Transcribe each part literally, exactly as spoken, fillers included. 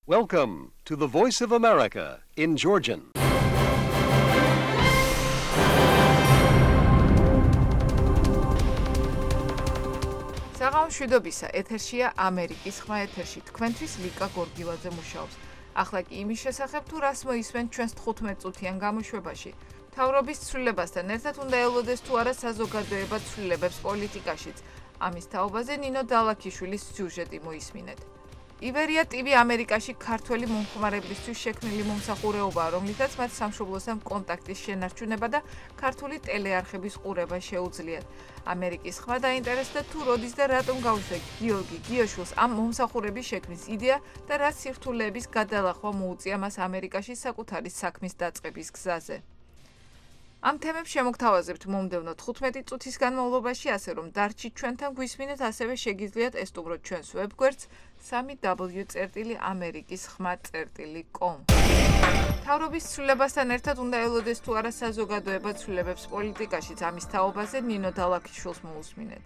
Welcome to the Voice of America in Georgian. საღამოშვიდობისა ეთერშია ამერიკის ხმა ეთერში თქვენთვის ლიკა გორგილაძე მუშაობს. ახლა კი იმის შესახებ თუ რას მოისმენთ ჩვენს თხუთმეტ წუთიან გამოშვებაში. მთავრობის ცვლილებასთან ერთად უნდა ელოდეს თუ არა საზოგადოება ცვლილებებს პოლიტიკაშიც. ამის თაობაზე ნინო დალაქიშვილის სიუჟეტი მოისმინეთ. ივერია ტივი ამერიკაში ქართველი მომხმარებლისთვის შექმნილი მომსახურებაა, რომლითაც მათ სამშობლოსთან კონტაქტის შენარჩუნება და ქართული ტელეარხების ყურება შეუძლიათ. ამერიკის ხმა დაინტერესდა თუ როდის და რატომ გაუშვდა გიორგი გიოშვილს ამ მომსახურების შექმნის იდეა და რა სირთულეების გადალახვა მოუწია მას ამერიკაში საკუთარი საქმის დაწყების გზაზე. ამ თემებს შემოგთავაზებთ მომდევნო თხუთმეტი წუთის განმავლობაში, ასე რომ დარჩით ჩვენთან გვისმინეთ, ასევე შეგიძლიათ ესტუმროთ ჩვენს ვებგვერდს სამი დაბლიუ წერტილი ამერიკის ხმა წერტილი კომ. მთავრობის ცვლილებასთან ერთად უნდა ელოდეს თუ არა საზოგადოება ცვლილებებს პოლიტიკაშიც. ამის თაობაზე ნინო დალაქიშვილს მოусმინეთ.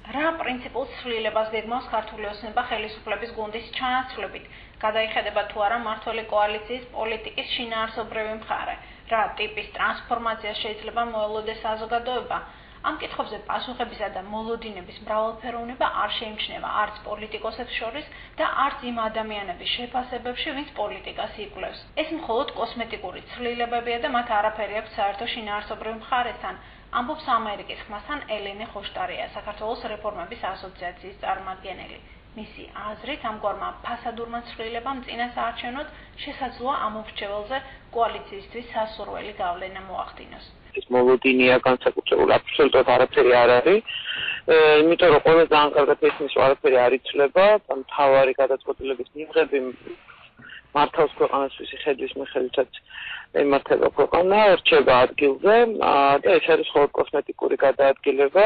რა პრინციპულ ცვლილებას გეგმავს ქართული ოცნება ხელისუფლების გუნდის ჩანაცვლებით? გადაიხედება თუ არა მმართველი კოალიციის პოლიტიკის შინაარსობრივი მხარე? რა ტიპის ტრანსფორმაცია შეიძლება მოელოდეს საზოგადოება? ამ კითხვებზე პასუხებისა და მოლოდინების მრავალფეროვნება არ შეიმჩნევა არც პოლიტიკოსებს შორის და არც იმ ადამიანების შეფასებებში, ვინც პოლიტიკას იკვლევს. ეს მხოლოდ კოსმეტიკური ცვლილებებია და მათ არაფერი აქვს საერთო შინაარსობრივ მხარესთან, ამბობს ამერიკის ხმასთან ელენე ხოშტარია, საქართველოს რეფორმების ასოციაციის წარმომადგენელი. მისი აზრით, ამგვარმა ფასადურმა ცვლილებამ წინასაარჩევნოდ შესაძლოა ამ მრჩეველზე კოალიციისთვის სასურველი გავლენა მოახდინოს. ეს მოლოდინია განსაკუთრებულ აბსოლუტურად არაფერი არ არის, იმიტომ რომ ყველა ძალიან კარგად ისმის, რომ არაფერი არ იცვლება, მთავარი გადაწყვეტილების მიღები მართავს ქვეყანასთვის ხედვის მიხედვითაც ემართება ქვეყანა, რჩება ადგილზე და ეს არის მხოლოდ კოსმეტიკური გადაადგილება,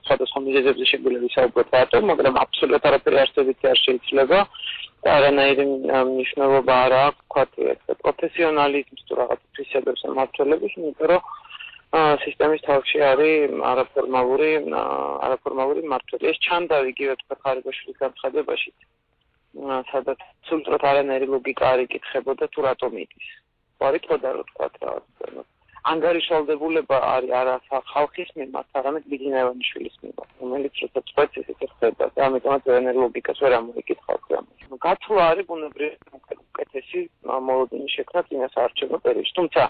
სხვადასხვა მიზეზებზე შეგვიძლია ვისაუბროთ რატომ, მაგრამ აბსოლუტურად არაფერი არსებითი არ შეიძლება და არანაირი მნიშვნელობა არ აქვს, ვთქვათ, პროფესიონალიზმს თუ რაღაც თვისებებს მმართველობის, იმიტომ რომ სისტემის თავში არის არაფორმალური არაფორმალური მმართველი. ეს ჩანდა იგივე თქვა ხარიბაშვილის განცხადებაში, სადაც სულტროთ არანაირი ლოგიკა არ იკითხებოდა თუ რატომ იდის. ვარიტყოდა რომ თქვა რაღაც ანგარიშვალდებულება არის არა ხალხის მიმართ, არამედ ბიძინა ივანიშვილის მიმართ, რომელიც როცა წვეთს ისეთ ხდება და ამიტომაც არანაირი ლოგიკას ვერ ამოიკითხავს ამას. გაცვლა არის ბუნებრივი უკეთესი მოლოდინის შექმნა წინასაარჩევნო პერიოდში. თუმცა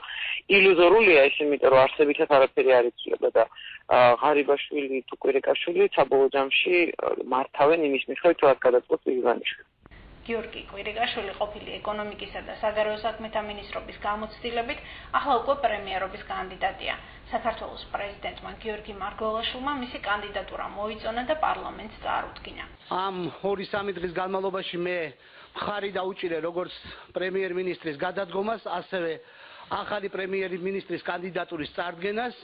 ილუზორულია ის, იმიტომ რომ არსებითად არაფერი არ იცვლება და ღარიბაშვილი თუ კვირიკაშვილი საბოლოო ჯამში მართავენ იმის მიხედვით, რაც გადაწყვეტს ივანიშვილი. გიორგი კვირიკაშვილი ყოფილი ეკონომიკისა და საგარეო საქმეთა მინისტრობის გამოცდილებით ახლა უკვე პრემიერობის კანდიდატია. საქართველოს პრეზიდენტმა გიორგი მარგველაშვილმა მისი კანდიდატურა მოიწონა და პარლამენტს წარუდგინა. ამ ორი სამი დღის განმავლობაში მე მხარი დაუჭირე როგორც პრემიერ-მინისტრის გადადგომას, ასევე ახალი პრემიერ-მინისტრის კანდიდატურის წარდგენას.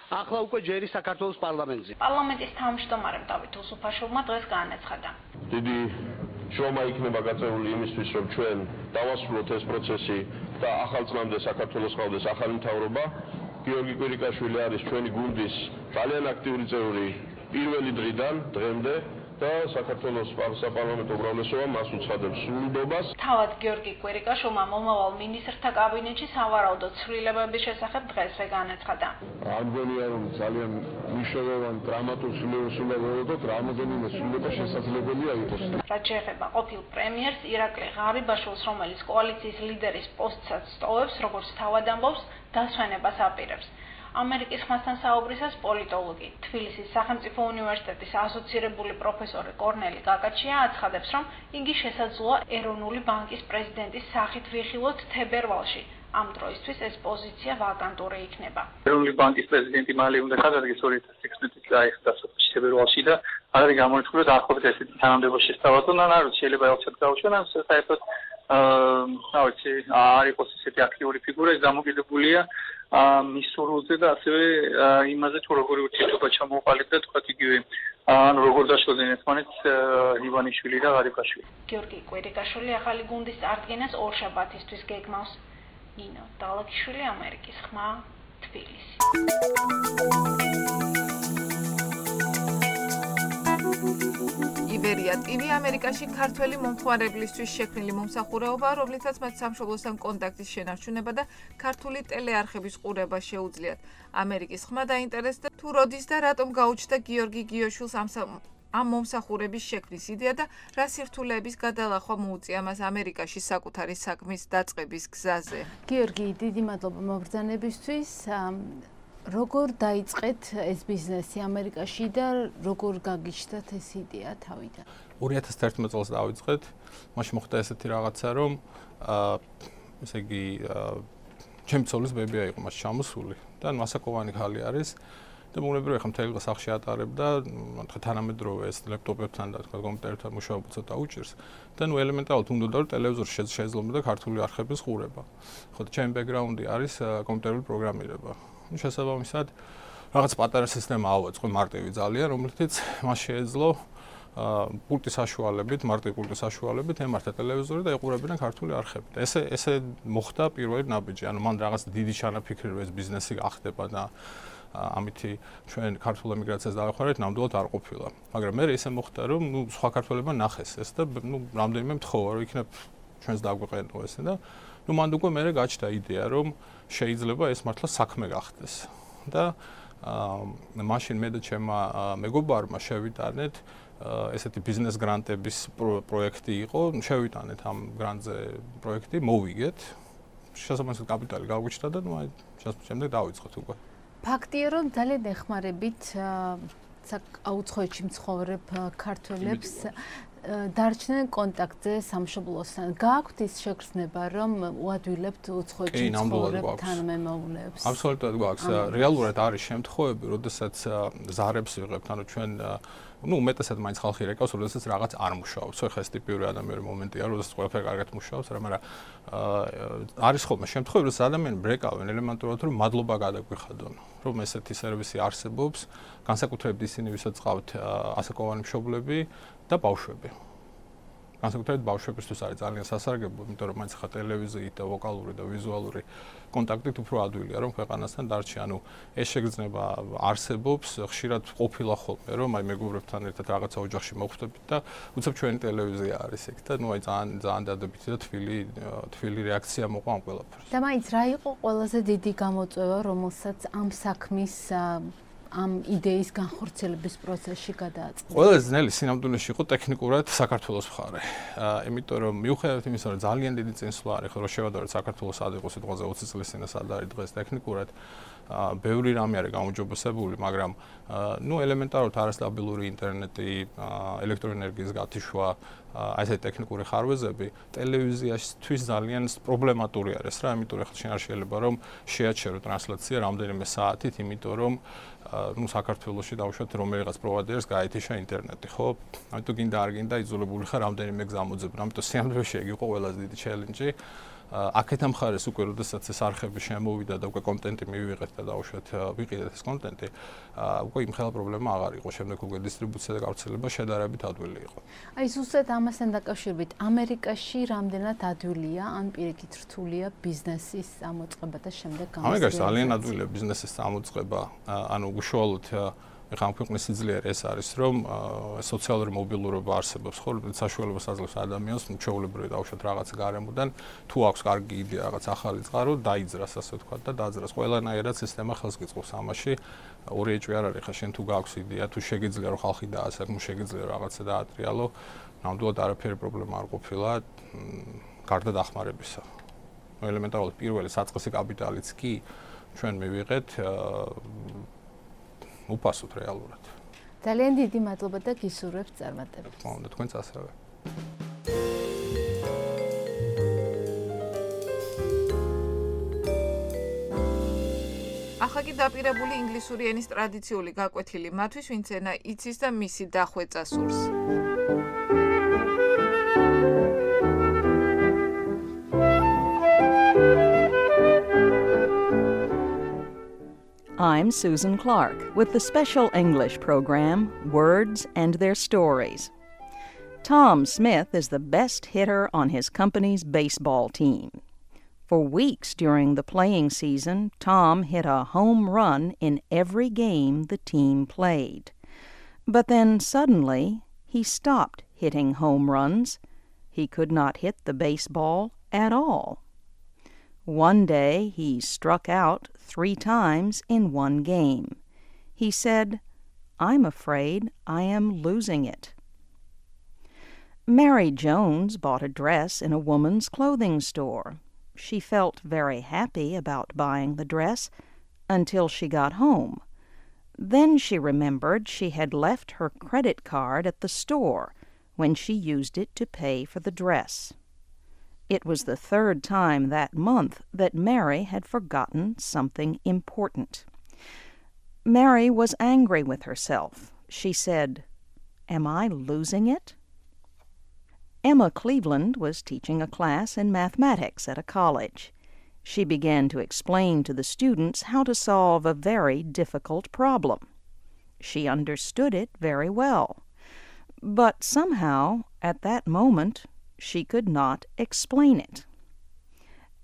ახლა უკვე ჯერი საქართველოს პარლამენტზე. პარლამენტის თავმჯდომარემ დავით უსუფაშვილმა დღეს განაცხადა. დიდი შრომა იქნება გაწეული იმისთვის, რომ ჩვენ დავასრულოთ ეს პროცესი და ახალ წლამდე საქართველოს ყავდეს ახალი მთავრობა. გიორგი კვირიკაშვილი არის ჩვენი გუნდის ძალიან აქტიური წევრი პირველი დღიდან დღემდე და საქართველოს საპარლამენტო უმრავლესობა მას უცხადებს სრულდობას. თავად გიორგი კვირიკაშვილმა მომავალ მინისტრთა კაბინეტში სავარაუდო ცვლილებების შესახებ დღესვე განაცხადა. ამგონია რომ ძალიან მნიშვნელოვანი დრამატულ ცვლილებებს უნდა ვეღოთ, რამოდენიმე ცვლილება შესაძლებელია იყოს. რაც შეეხება ყოფილ პრემიერს ირაკლი ღარიბაშვილს, რომელიც კოალიციის ლიდერის პოსტსაც სტოვებს, როგორც თავად ამბობს, დასვენებას აპირებს. ამერიკის ხმასთან საუბრისას პოლიტოლოგი, თბილისის სახელმწიფო უნივერსიტეტის ასოცირებული პროფესორი კორნელი გაკაჩია აცხადებს, რომ იგი შესაძლოა ეროვნული ბანკის პრეზიდენტის სახით ვიხილოთ თებერვალში. ამ დროისთვის ეს პოზიცია ვაკანტური იქნება. ეროვნული ბანკის პრეზიდენტი მალე უნდა გადადგეს ორი ათას ექვსმეტი წლის დასაწყისში თებერვალში და არ არის გამორიცხული რომ დაახლოებით ესეთი თანამდებობა შესთავაზონ, ან არ ვიცი, შეიძლება ელჩად გაუშვან, ან საერთოდ აა ვიცი, არ იყოს ესეთი აქტიური ფიგურა, ეს დამოკიდებულია მის სურვილზე და ასევე იმაზე თუ როგორი ურთიერთობა ჩამოყალიბდა თქვათ იგივე ანუ როგორ დაშლოდნენ ერთმანეთს ივანიშვილი და ღარიბაშვილი. გიორგი კვირიკაშვილი ახალი გუნდის წარდგენას ორშაბათისთვის გეგმავს. ნინო დალაქიშვილი, ამერიკის ხმა, თბილისი. ბლერია ტივი ამერიკაში ქართველი მომხმარებლისთვის შექმნილი მომსახურებაა, რომლითაც მათ სამშობლოსთან კონტაქტის შენარჩუნება და ქართული ტელეარხების ყურება შეუძლიათ. ამერიკის ხმა დაინტერესდა თუ როდის და რატომ გაუჩნდა გიორგი გიოშვილს ამ ამ მომსახურების შექმნის იდეა და რა სირთულეების გადალახვა მოუწია მას ამერიკაში საკუთარი საქმის დაწყების გზაზე. გიორგი, დიდი მადლობა მობრძანებისთვის. როგორ დაიწყეთ ეს ბიზნესი ამერიკაში და როგორ გაგიჩნდათ ეს იდეა თავიდან? ორი ათას თერთმეტ წელს დავიწყეთ. მაშინ მოხდა ესეთი რაღაცა, რომ აა ესე იგი ჩემი ცოლის ბებია იყო მას ჩამოსული და მასაკოვანი ხალი არის. და მოგნებრივია ხა მთელი დღე სახლში ატარებდა, თქვა თანამედროვე ეს ლეპტოპებთან და თქვა კომპიუტერთან მუშაობა ცოტა უჭირს. და ნუ ელემენტარულად უნდა რომ ტელევიზორში შეძლო ქართული არხების ყურება. ხო და ჩემი ბექგრაუნდი არის კომპიუტერული პროგრამირება. ნუ შესაბამისად რაღაც პატარა სისტემა ავაწყო მარტივი ძალიან, რომლითაც მას შეეძლო პულტის საშუალებით, მარტივი პულტის საშუალებით ემართა ტელევიზორი და ეყურებინა ქართული არხები. ესე ესე მოხდა პირველი ნაბიჯი. ანუ მან რაღაც დიდი ჩანაფიქრი რომ ეს ბიზნესი გახდება და ამითი ჩვენ ქართულ ემიგრაციას დავეხმარეთ, ნამდვილად არ ყოფილა. მაგრამ მე ისე მოხდა, რომ ნუ სხვა ქართველებმა ნახეს ეს და ნუ რამდენიმე მთხოვა, რომ იქნებ ჩვენს დაგვეყენო ესე და ნუ მანდ უკვე მე გაჩნდა იდეა, რომ შეიძლება ეს მართლა საქმე გახდეს. და აა მაშინ მე და ჩემმა მეგობარმა შევიტანეთ ესეთი ბიზნეს გრანტების პროექტი იყო, შევიტანეთ ამ გრანტზე პროექტი, მოვიგეთ. შესაბამისად კაპიტალი გავგვიჩნდა და ნუ აი შემდეგ დავიწყეთ უკვე. ფაქტია, რომ ძალიან ეხმარებით აუცხოვეთში მცხოვრებ ქართველებს დარჩნენ კონტაქტზე სამშობლოსთან. გააქვთ ის შეგრძნება, რომ უადვილებთ უცხოეთში მცხოვრებ თანამემამულეებს? აბსოლუტურად გვაქვს. რეალურად არის შემთხვევები, როდესაც ზარებს ვიღებთ, ანუ ჩვენ ну, უმეტესად მაინც ხალხი რეკავს, როდესაც რაღაც არ მუშაობს. ხო, ხა ეს ტიპიური ადამიანური მომენტია, როდესაც ყველაფერი კარგად მუშაობს, რა, მაგრამ არის ხოლმე შემთხვევები, რომ ადამიანები ბრეკავენ ელემენტურად, რომ მადლობა გადაგვიხადონ, რომ ესეთი სერვისი არსებობს, განსაკუთრებით ისინი, ვისაც ყავთ ასაკოვანი მშობლები და ბავშვები. განსაკუთრებით ბავშვებისთვის არის ძალიან სასარგებლო, იმიტომ რომ მაინც ხა ტელევიზიით და ვოკალური და ვიზუალური კონტაქტით უფრო ადვილია, რომ ქვეყანასთან დარჩი. ანუ ეს შეგრძნება არსებობს, ხშირად ყოფილა ხოლმე, რომ აი მეგობრებთან ერთად რაღაცა ოჯახში მოხვდებით და უცებ ჩვენი ტელევიზია არის ეგ და ნუ აი ძალიან ძალიან დადებითი და თბილი თბილი რეაქცია მოყვა ამ ყველაფერს. და მაინც რა იყო ყველაზე დიდი გამოწვევა, რომელსაც ამ საქმის ამ იდეის განხორციელების პროცესში გადააწყდა? ყველაზე ძნელი სინამდვილეში იყო ტექნიკურად საქართველოს მხარე. აა, იმიტომ რომ მიუხედავად იმისა, რომ ძალიან დიდი წინსვლა არის, რომ შევადაროთ საქართველოს სად იყო სიტყვაზე ოცი წლის წინ და სად არის დღეს ტექნიკურად, აა, ბევრი რამე არის გამოჯობესებული, მაგრამ აა, ნუ ელემენტარულად არასტაბილური ინტერნეტი, აა, ელექტროენერგიის გათიშვა, აი ესეთი ტექნიკური ხარვეზები ტელევიზიაშთვის ძალიან პრობლემატური არის რა, იმიტომ რომ ხალხი არ შეიძლება რომ შეაჩერო ტრანსლაცია რამდენიმე საათით, იმიტომ რომ ну საქართველოში დავუშვათ რომელიღაც პროვაიდერს გაეთიშა ინტერნეტი, ხო? ამიტომ გინდა არ გინდა იძულებული ხარ რამდენიმე გზა მოძებნა. ამიტომ სიამოვნებაში ეგ იყო ყველაზე დიდი ჩელენჯი. აქეთ ამ ხარეს უკვე როდესაც ეს არხები შემოვიდა და უკვე კონტენტი მივიღეთ და დავუშვათ ვიყიდეთ ეს კონტენტი, უკვე იმ ხელა პრობლემა აღარ იყო. შემდეგ უკვე დისტრიბუცია და გავრცელება შედარებით ადვილი იყო. აი ზუსტად ამასთან დაკავშირებით, ამერიკაში რამდენად ადვილია, ან პირიქით რთულია ბიზნესის ამოწყება და შემდეგ გამოსვლები? ამერიკაში ძალიან ადვილია ბიზნესის ამოწყება, ანუ უშუალოდ ეხლა ამ ქვეყნის სიძლიერე ეს არის, რომ სოციალური მობილურობა არსებობს, ხო, საშუალებას აძლევს ადამიანს მჩვეულებრივი დავუშვათ რაღაც გარემოდან, თუ აქვს კარგი იდეა, რაღაც ახალი წყარო, დაიძრას, ასე ვთქვათ და დაძრას. ყველანაირად სისტემა ხელს გიწყობს ამაში. ორი ეჭვი არ არის, ხა შენ თუ გაქვს იდეა, თუ შეგიძლია რომ ხალხი დაასაკმო, შეგიძლია რაღაცა დაატრიალო, ნამდვილად არაფერი პრობლემა არ ყოფილა, გარდა დახმარებისა. ელემენტარულად პირველი საწყისი კაპიტალიც კი ჩვენ მივიღეთ უპასუხოთ რეალურად. ძალიან დიდი მადლობა და გისურვებთ წარმატებას. მოგონდა თქვენც ასევე. ახლა კი დაპირებული ინგლისური ენის ტრადიციული გაკვეთილი მათთვის, ვინც ენა იცის და მისი დახვეწა სურს. I'm Susan Clark with the special English program, Words and Their Stories. Tom Smith is the best hitter on his company's baseball team. For weeks during the playing season, Tom hit a home run in every game the team played. But then suddenly, he stopped hitting home runs. He could not hit the baseball at all. One day he struck out three times in one game. He said, "I'm afraid I am losing it." Mary Jones bought a dress in a woman's clothing store. She felt very happy about buying the dress until she got home. Then she remembered she had left her credit card at the store when she used it to pay for the dress. It was the third time that month that Mary had forgotten something important. Mary was angry with herself. She said, "Am I losing it?" Emma Cleveland was teaching a class in mathematics at a college. She began to explain to the students how to solve a very difficult problem. She understood it very well. But somehow, at that moment, she could not explain it.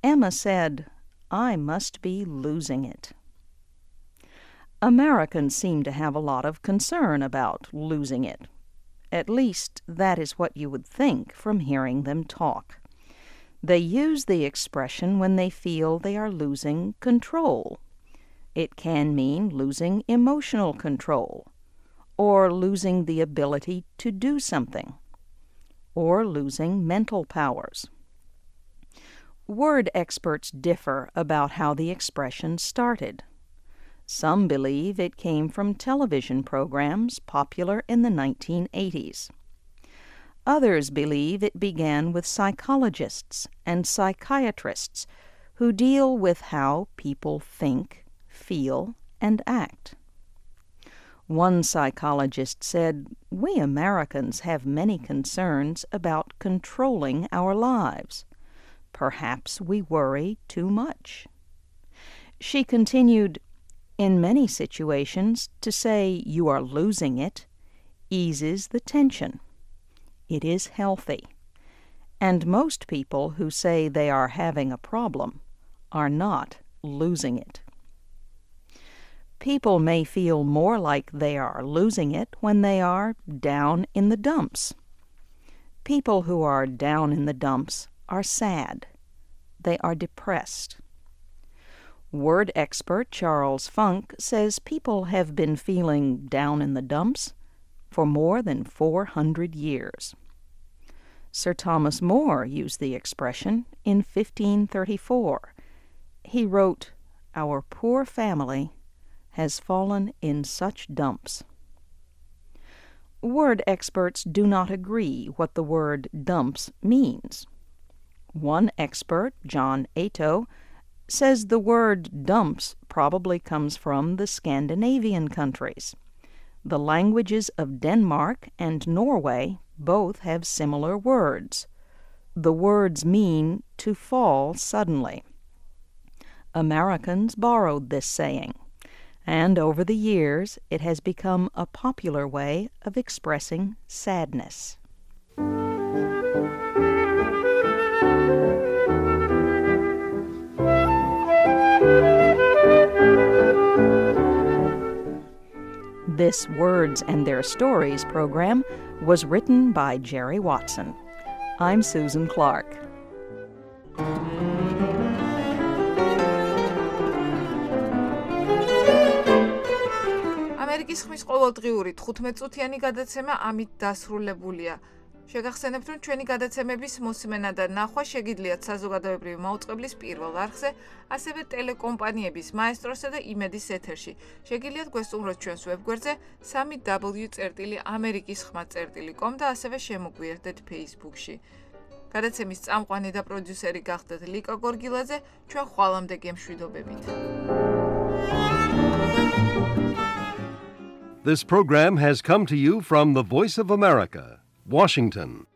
Emma said, "I must be losing it." Americans seem to have a lot of concern about losing it. At least, that is what you would think from hearing them talk. They use the expression when they feel they are losing control. It can mean losing emotional control, or losing the ability to do something, or losing mental powers. Word experts differ about how the expression started. Some believe it came from television programs popular in the nineteen eighties. Others believe it began with psychologists and psychiatrists who deal with how people think, feel, and act. One psychologist said, "We Americans have many concerns about controlling our lives. Perhaps we worry too much." She continued, "In many situations, to say you are losing it eases the tension. It is healthy. And most people who say they are having a problem are not losing it." People may feel more like they are losing it when they are down in the dumps. People who are down in the dumps are sad. They are depressed. Word expert Charles Funk says people have been feeling down in the dumps for more than four hundred years. Sir Thomas More used the expression in fifteen thirty-four. He wrote, "Our poor family has fallen in such dumps." Word experts do not agree what the word dumps means. One expert, John Ato, says the word dumps probably comes from the Scandinavian countries. The languages of Denmark and Norway both have similar words. The words mean to fall suddenly. Americans borrowed this saying, and over the years it has become a popular way of expressing sadness. This Words and Their Stories program was written by Jerry Watson. I'm Susan Clark. ამერიკის ხმის ყოველდღიური თხუთმეტ-წუთიანი გადაცემა ამით დასრულებულია. შეგახსენებთ, რომ ჩვენი გადაცემების მოსმენა და ნახვა შეგიძლიათ საზოგადოებრივი მაუწყებლის პირველ არხზე, ასევე ტელეკომპანიების მაესტროსა და იმედის ეთერში. შეგიძლიათ გვესტუმროთ ჩვენს ვებგვერდზე სამი დაბლიუ წერტილი ამერიკის ხმა წერტილი კომ და ასევე შემოგვიერთდეთ Facebook-ში. გადაცემის წამყვანი და პროდიუსერი გახდათ ლიკა გორგილაძე, ჩვენ ხვალამდე გემშვიდობებით. This program has come to you from the Voice of America, Washington.